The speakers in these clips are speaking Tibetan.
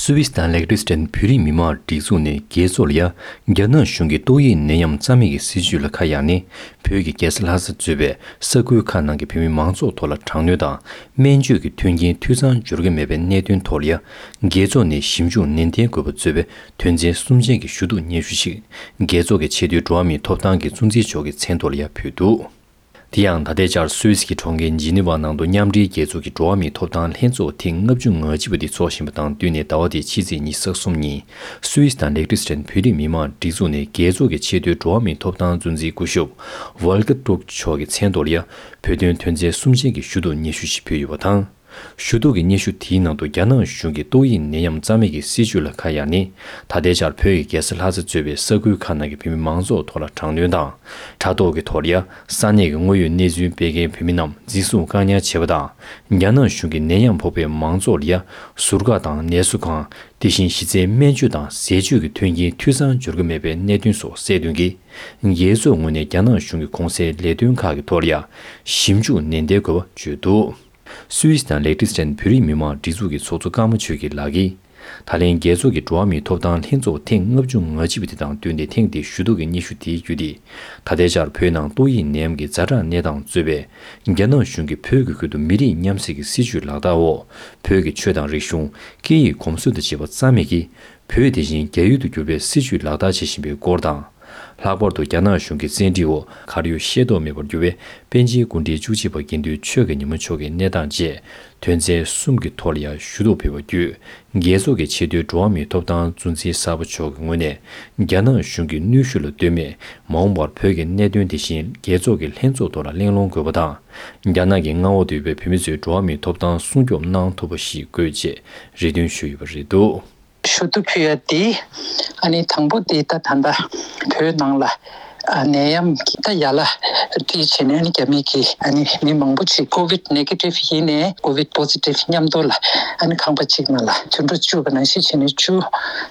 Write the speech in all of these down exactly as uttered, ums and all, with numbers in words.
སུད་སི་དང་ལེག་ཏི་སི་ཊན་བོད་རིགས་མི་མང་སྒྲིག་འཛུགས་ནས་རྒྱལ་ཚོགས་ལ་ཡ་རྒྱ་ནག་གཞུང་གི་ཏོག་དབྱིབས་ནད་ཡམས་རྩ་མེད་ཀྱི་སྲིད་བྱུས་ལ་ཁ་གཡར་ནས། བོད་ཀྱི་རྒྱལ་ས་ལྷ་ས་གཙོས་པའི་ས་ཁུལ་ཁག་ནང་གི་བོད་མི་མང་ཚོགས་ཐོག་ལ་དྲག་གནོན་དང་སྨན་བཅོས་ཀྱི་མཐུན་རྐྱེན་འཐུས་ཚང་འབྱོར་གྱི་མེད་པའི་གནད་དོན་ཐོག་ལ་ཡ། རྒྱལ་ཚོགས་ནས་ཞིབ་འཇུག་ནན་ཏན་དགོས་པ་གཙོས་པའི་དོན་ཚན་གསུམ་ཅན་གྱི་ཞུ་གཏུག་སྙན་ཞུ་ཞིག་རྒྱལ་ཚོགས་ཀྱི་ཆེས་མཐོའི་འགྲོ་བ་མིའི་ཐོབ་ཐང་གི་གཙོ་འཛིན་མཆོག་གི་མཚན་ཐོག་ལ་ཡ་ཕུལ་འདུག་དེ་ཡང་ད་ལྟའི་ཆར་སུད་སི་གི་གྲོང་ཁྱེར་ཇི་ནི་ཝ་ནང་དུ་མཉམ་འབྲེལ་རྒྱལ་ཚོགས་ཀྱི་འགྲོ་བ་མིའི་ཐོབ་ཐང་ལྷན་ཚོགས་ཐེངས་ལྔ་བཅུ་ང་གཅིག་པ་འདི་འཚོགས་བཞིན་པ་དང་བསྟུན་ནས། ཟླ་བ་འདིའི་ཕྱི་ཚེས་ཉི་ཤུ་རྩ་གསུམ་ཉིན་སུད་སི་དང་ལེག་ཏི་སི་ཊན་བོད་རིགས་མི་མང་སྒྲིག་འཛུགས་ནས་རྒྱལ་ཚོགས་ཀྱི་ཆེས་མཐོའི་འགྲོ་བ་མིའི་ཐོབ་ཐང་གཙོ་འཛིན་སྐུ་ཞབས་ཝོལ་ཀར་ཏུརྐ་མཆོག་གི་མཚན་ཐོག་ལ་ཡ་བོད་དོན་དོན་ཚན་གསུམ་ཅན་གྱི་ཞུ་གཏུག་སྙན་ཞུ་ཞིག་ཕུལ་ཡོད་པ་དང་། ཞུ་གཏུག་གི་སྙན་ཞུ་དེའི་ནང་དུ་རྒྱ་ནག་གཞུང་གིས་ཏོག་དབྱིབས་ནད་ཡམས་རྩ་མེད་ཀྱི་སྲིད་བྱུས་ལ་ཁ་གཡར་ནས། ད་ལྟའི་ཆར་བོད་ཀྱི་རྒྱལ་ས་ལྷ་ས་གཙོས་པའི་ས་ཁུལ་ཁག་ནང་གི་བོད་མི་མང་ཚོགས་ཐོག་ལ་དྲག་གནོན་དང་། དྲ་ཐོག་གི་ཐོག་ལ་ཡ་ས་གནས་ཀྱི་དངོས་ཡོད་གནས་ཚུལ་སྤེལ་མཁན་བོད་མི་རྣམས་འཛིན་བཟུང་བཀག་ཉར་བྱས་པ་དང་། རྒྱ་ནག་གཞུང་གིས་ནད་ཡམས་ཕོག་པའི་མང་ཚོགས་ལ་ཡ་ཟུར་བཀག་དང་ནད་གསོ་ཁང་། དེ་བཞིན་གཞི་རྩའི་སྨན་བཅོས་དང་ཟས་བཅུད་ཀྱི་མཐུན་རྐྱེན་འཐུས་ཚང་འབྱོར་གྱི་མེད་པའི་གནད་དོན་སོགས་སེལ་དོན་གྱིས། རྒྱལ་ཚོགས་ངོས་ནས་རྒྱ་ནག་གཞུང་གི་གོང་གསལ་ལས་དོན་ཁག་གི་ཐོག་ལ་ཡ་ཞིབ་འཇུག་ནན་ཏན་དགོས་པ་བརྗོད་འདུག་སུད་སི་དང་ལེག་ཏི་སི་ཊན་བོད་རིགས་མི་མང་སྒྲིག་འཛུགས་ཀྱི་ཚོགས་གཙོ་ཀརྨ་ཆོས་སྐྱིད་ལགས་ཀྱིས། ད་ལན་རྒྱལ་ཚོགས་ཀྱི་འགྲོ་བ་མིའི་ཐོབ་ཐང་ལྷན་ཚོགས་ཐེངས་ལྔ་བཅུ་ང་གཅིག་པ་དེ་དང་བསྟུན་ཏེ་ཐེངས་འདིའི་ཞུ་གཏུག་གི་སྙན་ཞུ་དེའི་བརྒྱུད་དེ། ད་ལྟའི་ཆར་བོད་ནང་ཏོག་དབྱིབས་ནད་ཡམས་ཀྱི་ཛ་དྲག་གནས་སྟངས་གཙོས་པའི་རྒྱ་ནག་གཞུང་གིས་བོད་ཀྱི་ཁུལ་དུ་མི་རིགས་མཉམ་བསྲེས་ཀྱི་སྲིད་བྱུས་ལག་བསྟར་འོག་བོད་ཀྱི་ཆོས་དང་རིག་གཞུང་། སྐད་ཡིག་གོམས་སྲོལ་དང་བཅས་པ་རྩ་མེད་ཀྱིས། བོད་དེ་བཞིན་རྒྱ་ཡུལ་དུ་བསྒྱུར་བའི་སྲིད་བྱུས་ལག་བསྟར་བྱེད་བཞིན་པའི་སྐོར་དང་། ལྷག་པར་དུ་རྒྱ་ནག་གཞུང་གི་བཙན་ཁྲིད་འོག་གར་ཡོད་ཤེས་རྟོགས་མེད་པར་གྱུར་བའི་པཎ་ཆེན་སྐུ་ཕྲེང་བཅུ་གཅིག་པ་དགེ་འདུན་ཆོས་དགའ་ཉི་མ་མཆོག་གི་གནས་སྟངས་བཅས་དོན་ཚན་གསུམ་གྱི་ཐོག་ལ་ཡང་ཞུ་གཏུག་ཕུལ་བ་བརྒྱུད། རྒྱལ་ཚོགས་ཀྱི་ཆེས་མཐོའི་འགྲོ་བ་མིའི་ཐོབ་ཐང་གཙོ་འཛིན་གསར་པ་མཆོག་གི་ངོས་ནས། རྒྱ་ནག་གཞུང་གི་གནོན་ཤུགས་ལ་ལྟོས་མེད། མ་འོངས་པར་བོད་ཀྱི་གནད་དོན་དེ་བཞིན་རྒྱལ་ཚོགས་ཀྱི་ལྷན་ཚོགས་ཐོག་ལ་གླེང་སློང་དགོས་པ་དང་། རྒྱ་ནག་གི་མངའ་འོག་ཏུ་ཡོད་པའི་བོད་མི་ཚོའི་འགྲོ་བ་མིའི་ཐོབ་ཐང་སྲུང་སྐྱོབ་གནང་ཐུབ་པ་ཞིག་དགོས་ཅེས་རེ་འདུན་ཞུས་ཡོད་པ་རེད་འདུག་ཞུ་གཏུག་ཕུལ་ཡ་དེ། ཨ་ནི་དང་པོ་དེ་ད་ད་ལྟ་བོད་ནང་ལ་ཨ་ནད་ཡམས་ཀྱི་ད་ཡ་ལ་སྤྲད་བྱས་ནས། ཨ་ནི་རྒྱ་མི་གིས་ཨ་ནི་མི་མང་པོ་ཅིག་ཀོ་ཝིད་ནེ་གེ་ཊིབ་ཡིན་ནའི་ཀོ་ཝིད་པོ་སི་ཊིབ་མཉམ་དུ་ལ་ཨ་ནི་ཁང་པ་གཅིག་ནང་ལ་དུད་འགྲོ་བཅུག་པ་ནང་བཞིན་བྱས་ནས་བཅུག་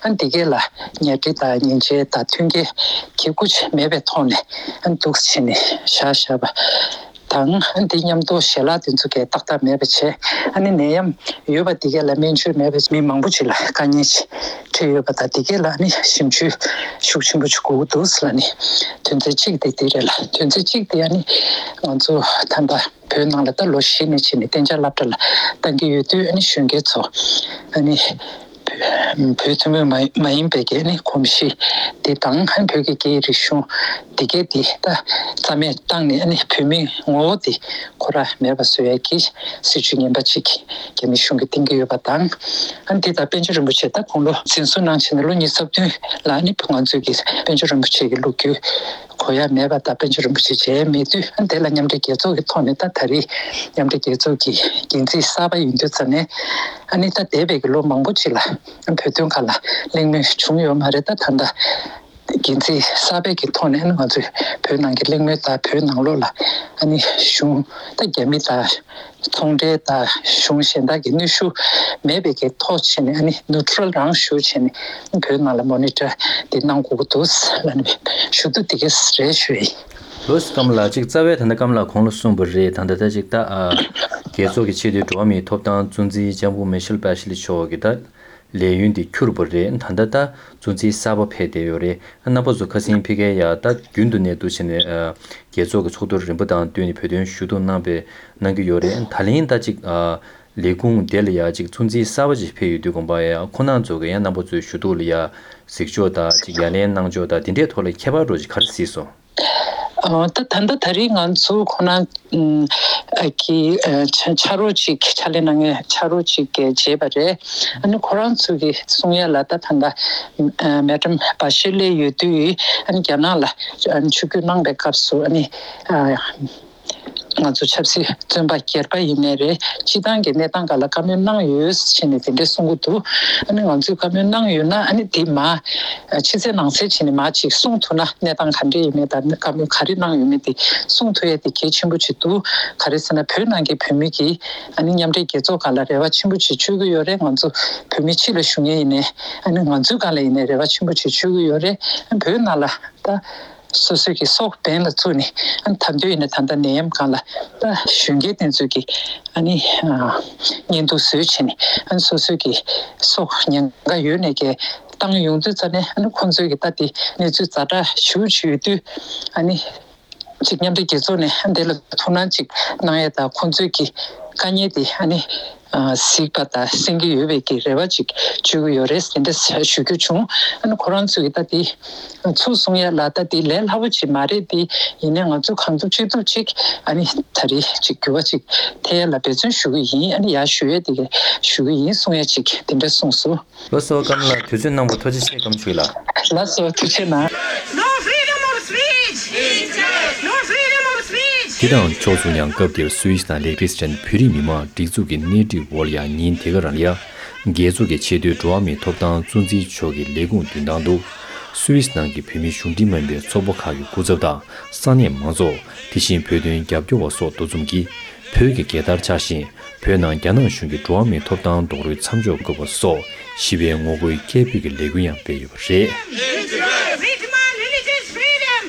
ཨ་ནི་དེ་གས་ལ་ཉལ་ཁྲི་དང་ཉལ་ཆས་དང་མཐུན་རྐྱེན་གི་སྐུ་ཅིག་མེད་པའི་ཐོག་ནས་ཨ་ནི་འདུག་བྱས་ནས་བཞག་བཞག་པ། དང་། འདི་མཉམ་དུ་ཞལ་ལག་དེ་ཚོ་གས་ཏག་ཏག་མེད་པ་བྱས། ཨ་ནི་ནད་ཡམས་ཡོད་པ་འདི་གས་ལ་སྨན་བཅོས་མེད་པ་བྱས། མི་མང་པོ་ཅིག་ལ་དཀའ་ངལ་ཅིག་འཕྲད་ཡོད་པ་དང་། འདི་གས་ལ་ཨ་ནི་ཞིབ་འཇུག་ཤུགས་ཆེན་པོ་ཅིག་དགོས་ཀྱི་འདུག་ཟེར་ལབ་ནས། དོན་ཚན་གཅིག་དེ་འདི་རེད་ལ། དོན་ཚན་གཅིག་དེ་ཨ་ནི་ང་ཚོ་ད་ལྟ་བོད་ནང་ལ་ད་ལོ་བཞི་ནས་བྱས་ནས་གཏན་འཇགས་སློབ་གྲྭ་ལ་བཏང་གི་ཡོད་དུས། ཨ་ནི་གཞོན་སྐྱེས་ཚོ་ཨ་ནི་བོད་ཐུན་མོང་མ་མ་ཡིན་པའི་གི་ཨ་ནི་གོམས་གཤིས་དེ་དང་། ཨ་ནི་བོད་ཀྱི་སྐད་ཡིག་རིག་གཞུང་དེ་གས་དེ་ད་རྩ་མེད་བཏང་ནས། ཨ་ནི་བོད་མིའི་ངོ་བོ་དེ་ཁོ་ར་མེད་པ་བཟོ་ཡ་གི་སྲིད་བྱུས་ངན་པ་ཅིག་རྒྱ་མི་གཞུང་གིས་བཏིང་གི་ཡོད་པ་དང་། ཨ་ནི་དེ་ད་པཎ་ཆེན་རིན་པོ་ཆེ་ད་དགུང་ལོ་འཛིན་བཟུང་གནང་བྱས་ནས་ལོ་ཉི་ཤུ་རྩ་བདུན་ལ། ཨ་ནི་ང་ཚོའི་གི་པཎ་ཆེན་རིན་པོ་ཆེ་གི་ལོ་རྒྱུས་གོ་ཡ་མེད་པ་དང་། པཎ་ཆེན་རིན་པོ་ཆེ་མཇལ་མེད་དུས། ཨ་ནི་དེ་ལ་མཉམ་འབྲེལ་རྒྱལ་ཚོགས་ཀྱི་ཐོག་ནས་ད་ད་རེས་མཉམ་འབྲེལ་རྒྱལ་ཚོགས་ཀྱི་འགན་འཛིན་གསར་པ་ཡིན་དུས་ཙམ་ནས། ཨ་ནི་ད་འདས་པའི་གི་ལོ་མང་པོ་ཅིག་ལ་བོད་དོན་སྒང་ལ་གླེང་མོལ་བྱུང་ཡོད་མ་རེད། ད་ད་ལྟ་འགན་འཛིན་གསར་པའི་གི་ཐོག་ནས། ཨ་ནི་ང་ཚོས་བོད་ནང་གི་གླེང་མོལ་དང་། བོད་ནང་ལོགས་ལ་ཨ་ནི་གཞུང་ད་རྒྱ་མི་དང་ཚོང་འབྲེལ་དང་གཞུང་གཞན་དག་གི་གནོན་ཤུགས་མེད་པའི་གི་ཐོག་བྱས་ནས། ཨ་ནི་ནུ་ཊི་རལ་རང་ཞུ་བྱས་ནས་བོད་ནང་ལ་མོ་ནི་ཊར་དེ་གནང་དགོས་ཀྱི་འདུག་ལབ་ནས་ཞུ་གཏུག་དེ་གས་རེད་ཞུ་ཡིན། ལོས་ཀརྨ་ལགས། ཅིག་རྩ་བའི་ད་ལྟ་ཀརྨ་ལགས་གོང་ལ་གསུངས་པ་རེད། ད་ལྟ་ད་ཅིག་ད་ཨ་རྒྱལ་ཚོགས་ཀྱི་ཆེས་མཐོའི་འགྲོ་བ་མིའི་ཐོབ་ཐང་གཙོ་འཛིན་ལྕམ་སྐུ་མེ་ཤེལ་བྷ་ཤི་ལི་མཆོག་གི་ད་ལས་ཡུན་དེ་འཁྱུར་བ་རེད། ད་ལྟ་ད་གཙོ་འཛིན་གསར་པ་ཕེབས་བསྡད་ཡོད་རེད། རྣམ་པ་ཚོ་ཁ་སང་ཕ་གིར་ཡ་ད་རྒྱུན་དུ་གནས་འདུག་བྱས་ནས་ཨ་རྒྱལ་ཚོགས་ཀྱི་ཚོགས་འདུར་རིམ་པ་དང་བསྟུན་ནས་བོད་དོན་ཞུ་གཏུག་གནང་པའི་གནང་གི་ཡོད་རེད། ད་ལན་ད་ཅིག་ཨ་ལས་ཁུངས་དེ་ལ་ཡ་ཅིག་གཙོ་འཛིན་གསར་པ་ཅིག་ཕེབས་ཡོད་དུས་ཙམ་པ་ཡ་ཁོང་རྣམ་ཚོ་གི་ཡང་རྣམ་པ་ཚོའི་ཞུ་གཏུག་ལ་ཡ་གཟིགས་ཕྱོགས་དང་ཅིག་ཡ་ལན་གནང་ཕྱོགས་དང་དེ་འདྲའི་ཐོག་ལ་ཁྱད་པར་འདྲ་ཅིག་ག་རེ་གཟིགས་སོང་། ཨ། ད་ད་ལྟ་ད་རེས་ང་ཚོ་ཁོ་ན་ཨ་གི་ཨ་ཕྱ་ཕྱག་རོགས་ཅིག་ཕྱག་ལས་གནང་མཁན་ཕྱག་རོགས་ཅིག་གིས་བྱས་པ་རེད། ཨ་ནི་ཁོ་རང་ཚོ་གིས་གསུང་ཡ་ལ། ད་ད་ལྟ་ཨ་མེ་ཌམ་བྷ་ཤི་ལི་ཡོད་དུས། ཨ་ནི་རྒྱ་ནག་ལ་ཨ་ནི་ཆིབས་བསྒྱུར་གནང་པའི་སྐབས་སུ། ཨ་ནི་ཨ་ང་ཚོ་ཆབ་སྲིད་བཙོན་པ་སྒེར་པ་ཡིན་ནའི་རེད། སྤྱི་བཏང་གི་གནས་སྟངས་སྒང་ལ་བཀའ་མོལ་གནང་ཡོད་ཟེར་ནས་དེ་འདྲས་གསུང་གི་འདུག་ཨ་ནི་ང་ཚོས་བཀའ་མོལ་གནང་ཡོད་ན། ཨ་ནི་དེ་མ་ཕྱི་གསལ་ནང་གསལ་བྱས་ནས་མ་ཅིག་གསུང་ཐུབ་ན། གནས་སྟངས་ག་འདྲས་ཡིན་མིན་དང་བཀའ་མོལ་ག་རེ་གནང་ཡོད་མེད་དེ་གསུང་ཐུབ་ཡ་དེ་གལ་ཆེན་པོ་ཅིག་འདུག་ག་རེ་ཟེར་ན། བོད་ནང་གི་བོད་མི་གིས་ཨ་ནི་མཉམ་འབྲེལ་རྒྱལ་ཚོགས་སྒང་ལ་རེ་བ་ཆེན་པོ་ཅིག་བཅོལ་གྱི་ཡོད་རེད། ང་ཚོ་བོད་མི་ཕྱི་ལ་བཞུགས་མཁན་ཡིན་ནའི། ཨ་ནི་ང་ཚོའི་སྒང་ལ་ཡིན་ནའི་རེ་བ་ཆེན་པོ་ཅིག་བཅོལ་གྱི་ཡོད་རེད། བོད་ནང་ལ་ད་ སོ་སོའི་གི་སྲོག་འབེན་ལ་བཙུགས་ནས། ཨ་ནི་ད་དུང་ཡིན་ན་ད་ལྟ་ནད་ཡམས་སྒང་ལ་ད་གཞོན་སྐྱེས་དེ་ཚོའི་གི་ཨ་ནི་ཨ་བརྙན་ཐུང་བཟོས་བྱས་ནས། ཨ་ནི་སོ་སོའི་གི་སྲོག་ཉེན་ཁ་ཡོད་ནས་གི་བཏང་ཡོང་དུས་ཙ་ནས། ཨ་ནི་ཁོང་ཚོའི་གི་ད་དེ་གནས་ཚུལ་ཛ་དྲག་ཞེ་པོ་ཅིག་ཡོད་དུས། ཨ་ནི་ཅིག་མཉམ་འབྲེལ་རྒྱལ་ཚོགས་ནས་འདི་ལ་ཐུགས་སྣང་ཅིག་གནང་ཡས་དང་། ཁོང་ཚོས་ཀྱི་དཀའ་ངལ་དེ་ཨ་ནི་ཨ་གཟིགས་པ་དང་། གསན་གྱི་ཡོད་པའི་གི་རེ་བ་ཅིག་བཅོལ་གྱི་ཡོད་རེད་ཟེར་འདྲ་ཞུ་རྒྱུ་བྱུང་། ཨ་ནི་ཁོ་རང་ཚོས་ཀྱི་ད་དེ་ཚུར་གསུང་ཡས་ལ་ད་དེ་ལས་སླ་པོ་ཅིག་མ་རེད། དེ་ཡིན་ནའི་ང་ཚོ་གང་ཐུབ་ཅི་ཐུབ་ཅིག་ཨ་ནི་ད་རེས་ཅིག་འགྱུར་བ་ཅིག་ཐེབས་ཡས་ལ་འབད་བརྩོན་ཞུ་གི་ཡིན། ཨ་ནི་ཡར་ཞུ་ཡས་དེ་ག་ཞུ་གི་ཡིན་གསུང་ཡས་ཅིག་དེ་འདྲ་གསུངས་སོང་། ལགས་སོ། ཀརྨ་ལགས། དུས་ཚོད་གནང་བར་ཐུགས་རྗེ་ཆེ། ཀརྨ་ཆོས་ལགས། ལགས་སོ། ཐུགས་རྗེ་གནང་། No freedom of speech! No freedom of speech! དེ་དང་ཕྱོགས་མཚུངས། ཡང་སྐབས་དེར་སུད་སི་དང་ལེག་ཏེན་སི་ཊན་བོད་རིགས་མི་མང་སྒྲིག་འཛུགས་ཀྱི་སྣེ་ཁྲིད་འོག་ལ་ཡང་ཉིན་དེ་ག་རང་ལ་ཡང་རྒྱལ་ཚོགས་ཀྱི་ཆེས་མཐོའི་འགྲོ་བ་མིའི་ཐོབ་ཐང་གཙོ་འཛིན་མཆོག་གི་ལས་ཁུངས་མདུན་ཐང་དུ། སུད་སི་ནང་གི་བོད་མིའི་གཞུང་འབྲེལ་མ་ཡིན་པའི་ཚོགས་པ་ཁག་གི་སྐུ་ཚབ་དང་། ས་གནས་མང་ཚོགས། དེ་བཞིན་བོད་དོན་རྒྱབ་སྐྱོར་བ་སོགས་འདུ་འཛོམས་ཀྱིས། བོད་ཀྱི་རྒྱལ་དར་འཕྱར་ཞིང་། བོད་ནང་རྒྱ་ནག་གཞུང་གིས་འགྲོ་བ་མིའི་ཐོབ་ཐང་རྡོག་རོལ་མཚམས་འཇོག་དགོས་པ་སོགས་ཞི་བའི་ངོ་རྒོལ་སྐད་འབོད་ཀྱི་ལས་འགུལ་ཡང་སྤེལ་ཡོད་པ་རེད། We demand religious freedom!